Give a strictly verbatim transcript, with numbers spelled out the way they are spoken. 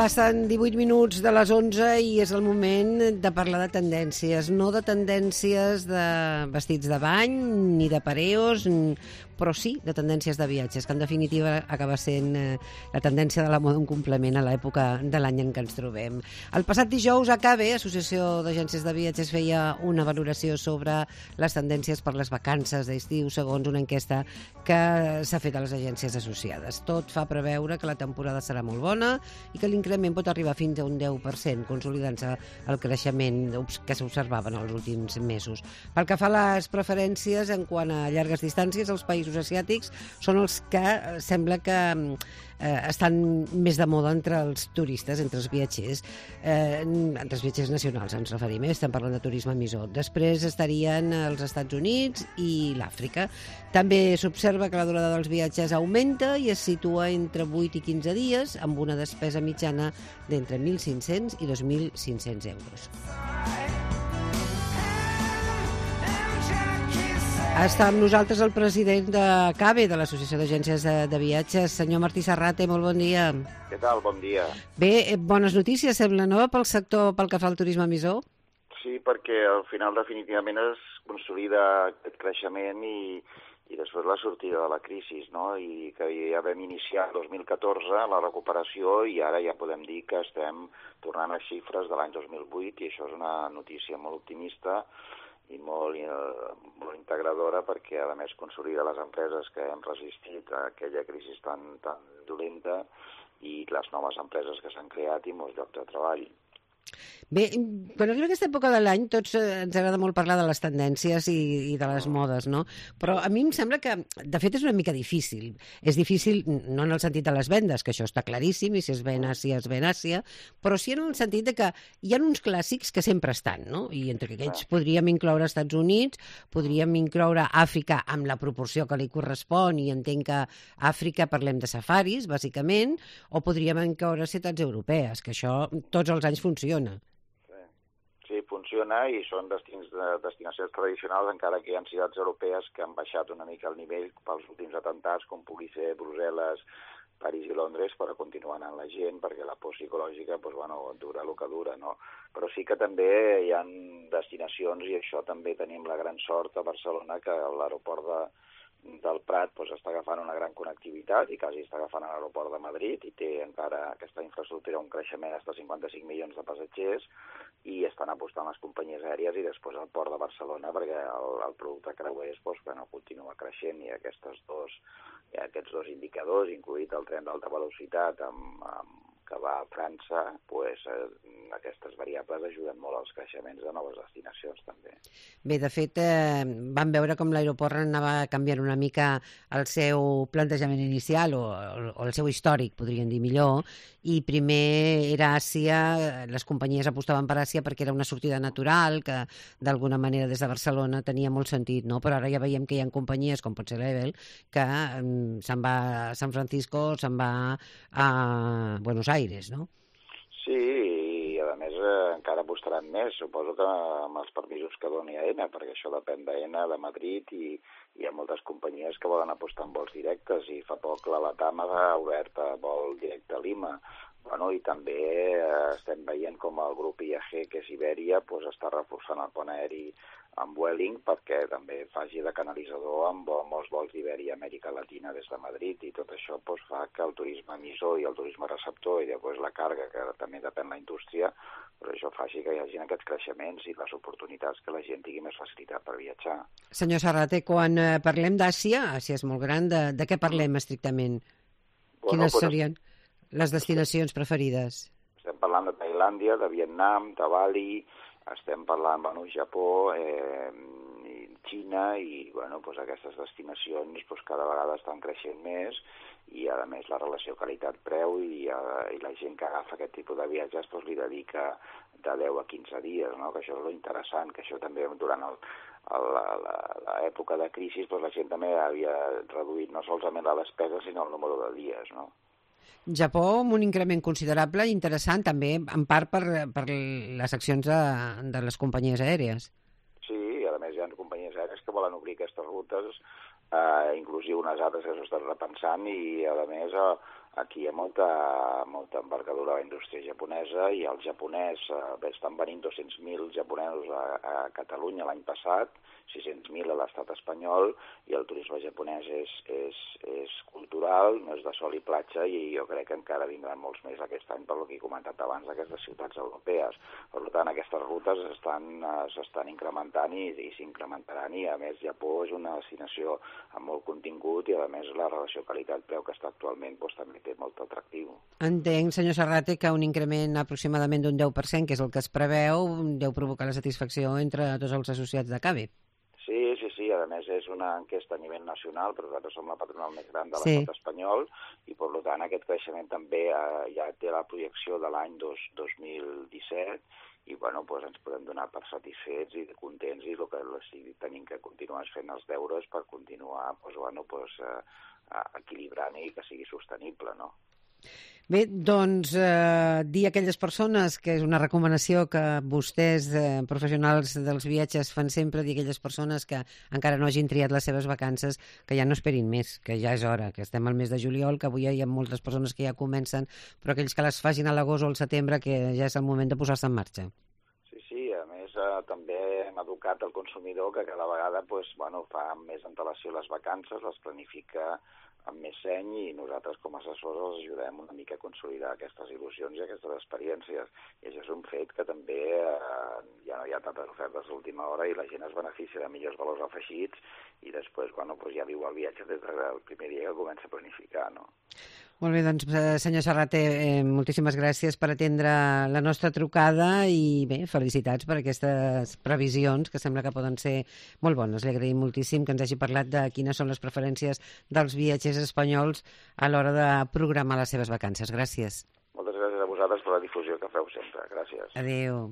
Passen divuit minuts de les onze i és el moment de parlar de tendències. No de tendències de vestits de bany, ni de pareos, però sí de tendències de viatges, que en definitiva acaba sent la tendència de la moda un complement a l'època de l'any en què ens trobem. El passat dijous, A C A B, Associació d'Agències de Viatges, feia una valoració sobre les tendències per les vacances d'estiu, segons una enquesta que s'ha fet a les agències associades. Tot fa preveure que la temporada serà molt bona i que l'increment pot arribar fins a un deu per cent, consolidant-se el creixement que s'observava en els últims mesos. Pel que fa a les preferències en quant a llargues distàncies, els països asiàtics són els que sembla que eh, estan més de moda entre els turistes, entre els viatgers, eh, entre els viatgers nacionals ens referim, eh? Estem parlant de turisme emissor. Després estarien els Estats Units i l'Àfrica. També s'observa que la durada dels viatges augmenta i es situa entre vuit i quinze dies, amb una despesa mitjana d'entre mil cinc-cents i dos mil cinc-cents euros. Està amb nosaltres el president de C A B, de l'Associació d'Agències de, de Viatges, senyor Martí Serrate, molt bon dia. Què tal? Bon dia. Bé, bones notícies, sembla, no?, pel sector, pel que fa al turisme emissor? Sí, perquè al final definitivament es consolida aquest creixement i, i després la sortida de la crisi, no? I que ja vam iniciar el dos mil catorze la recuperació i ara ja podem dir que estem tornant a xifres de l'any dos mil vuit i això és una notícia molt optimista i molt, eh, molt integradora perquè, a més, consolida les empreses que hem resistit a aquella crisi tan, tan dolenta i les noves empreses que s'han creat i molts llocs de treball. Bé, quan arriba aquesta època de l'any tots eh, ens agrada molt parlar de les tendències i, i de les modes, no? Però a mi em sembla que, de fet, és una mica difícil. És difícil, no en el sentit de les vendes, que això està claríssim, i si es ven Àsia, es ven Àsia, però sí en el sentit de que hi ha uns clàssics que sempre estan, no? I entre aquests podríem incloure Estats Units, podríem incloure Àfrica amb la proporció que li correspon, i entenc que a Àfrica parlem de safaris, bàsicament, o podríem incloure ciutats europees, que això tots els anys funciona. Sí, funciona i són destins de, destinacions tradicionals, encara que hi ha ciutats europees que han baixat una mica el nivell pels últims atentats, com pugui ser Brussel·les, París i Londres, però continua anant la gent, perquè la por psicològica doncs, bueno, dura el que dura, no? Però sí que també hi ha destinacions, i això també tenim la gran sort a Barcelona, que l'aeroport de del Prat doncs, està agafant una gran connectivitat i quasi està agafant l'aeroport de Madrid i té encara aquesta infraestructura un creixement fins a cinquanta-cinc milions de passatgers i estan apostant les companyies aèries i després el port de Barcelona perquè el, el producte creuers doncs, bueno, continua creixent i aquests dos, aquests dos indicadors, incluït el tren d'alta velocitat amb, amb que va a França, pues, eh, aquestes variables ajuden molt als creixements de noves destinacions també. Bé, de fet, eh, vam veure com l'aeroport anava canviant una mica el seu plantejament inicial o, o el seu històric, podríem dir millor, i primer era Àsia, les companyies apostaven per Àsia perquè era una sortida natural, que d'alguna manera des de Barcelona tenia molt sentit, no? Però ara ja veiem que hi ha companyies, com pot ser l'Ebel, que um, se'n va a San Francisco, se'n va a Buenos Aires, no? Sí, i a més eh, encara apostaran més, suposo que amb els permisos que doni AENA, perquè això depèn d'AENA, de Madrid, i hi ha moltes companyies que volen apostar en vols directes, i fa poc la LATAM ha obert vol directe a Lima. Bueno, i també eh, estem veient com el grup I A G, que és Iberia, pues, està reforçant el pont aeri amb Vueling perquè també faci de canalitzador amb molts vols d'Iberia a Amèrica Latina des de Madrid i tot això pues, fa que el turisme emissor i el turisme receptor i després la càrrega, que també depèn de la indústria, però això faci que hi hagi aquests creixements i les oportunitats que la gent tingui més facilitat per viatjar. Senyor Serrate, quan eh, parlem d'Àsia, Àsia és molt gran, de, de què parlem estrictament? Bueno, Quines pues, serien les destinacions preferides? Estem parlant de Tailàndia, de Vietnam, de Bali, estem parlant, bueno, Japó, eh, Xina i, bueno, pues aquestes destinacions pues, cada vegada estan creixent més i, a més, la relació qualitat-preu i, uh, i la gent que agafa aquest tipus de viatges pues, li dedica de deu a quinze dies, no? Que això és lo interessant, que això també durant el, l'època de crisi pues, la gent també havia reduït no solament la despesa sinó el número de dies, no? Japó amb un increment considerable i interessant també, en part per, per les accions de, de les companyies aèries. Sí, i a més hi ha companyies aèries que volen obrir aquestes rutes, eh, inclusive unes altres que s'ho estan repensant i a més eh, aquí hi ha molta, molta envergadura a la indústria japonesa i el japonès, eh, bé, estan venint dos-cents mil japonesos a, a Catalunya l'any passat, sis-cents mil a l'estat espanyol, i el turisme japonès és, és, és cultural, no és de sol i platja, i jo crec que encara vindran molts més aquest any per lo que he comentat abans d'aquestes ciutats europees. Per tant, aquestes rutes s'estan incrementant i, i s'incrementaran, i a més Japó és una destinació amb molt contingut i a més la relació qualitat-preu que està actualment doncs, també té molt atractiu. Entenc, senyor Serrate, que un increment aproximadament d'un deu per cent, que és el que es preveu, deu provocar la satisfacció entre tots els associats de C A B E. Sí, sí, sí, a més és una enquesta a nivell nacional, però nosaltres som la patronal més gran de Sí. l'estat espanyol i, per tant, aquest creixement també eh, ja té la projecció de l'any dos mil disset i, bueno, doncs ens podem donar per satisfets i contents i el que sí, tenim que continuar fent els deures per continuar doncs, bueno, doncs, eh, equilibrant i que sigui sostenible, no? Bé, doncs, eh, dir a aquelles persones, que és una recomanació que vostès, eh, professionals dels viatges, fan sempre, dir a aquelles persones que encara no hagin triat les seves vacances, que ja no esperin més, que ja és hora, que estem al mes de juliol, que avui hi ha moltes persones que ja comencen, però aquells que les facin a l'agost o al setembre, que ja és el moment de posar-se en marxa. Sí, sí, a més eh, també hem educat el consumidor que cada vegada pues, bueno, fa amb més antelació les vacances, les planifica amb més seny i nosaltres com a assessors els ajudem una mica a consolidar aquestes il·lusions i aquestes experiències. I això és un fet que també eh, ja no hi ha tantes ofertes a l'última hora i la gent es beneficia de millors valors afegits i després bueno, pues ja viu el viatge des del primer dia que comença a planificar, no? Molt bé, doncs, senyor Serrate, eh, moltíssimes gràcies per atendre la nostra trucada i bé, felicitats per aquestes previsions que sembla que poden ser molt bones. Li agraïm moltíssim que ens hagi parlat de quines són les preferències dels viatgers espanyols a l'hora de programar les seves vacances. Gràcies. Moltes gràcies a vosaltres per la difusió que feu sempre. Gràcies. Adéu.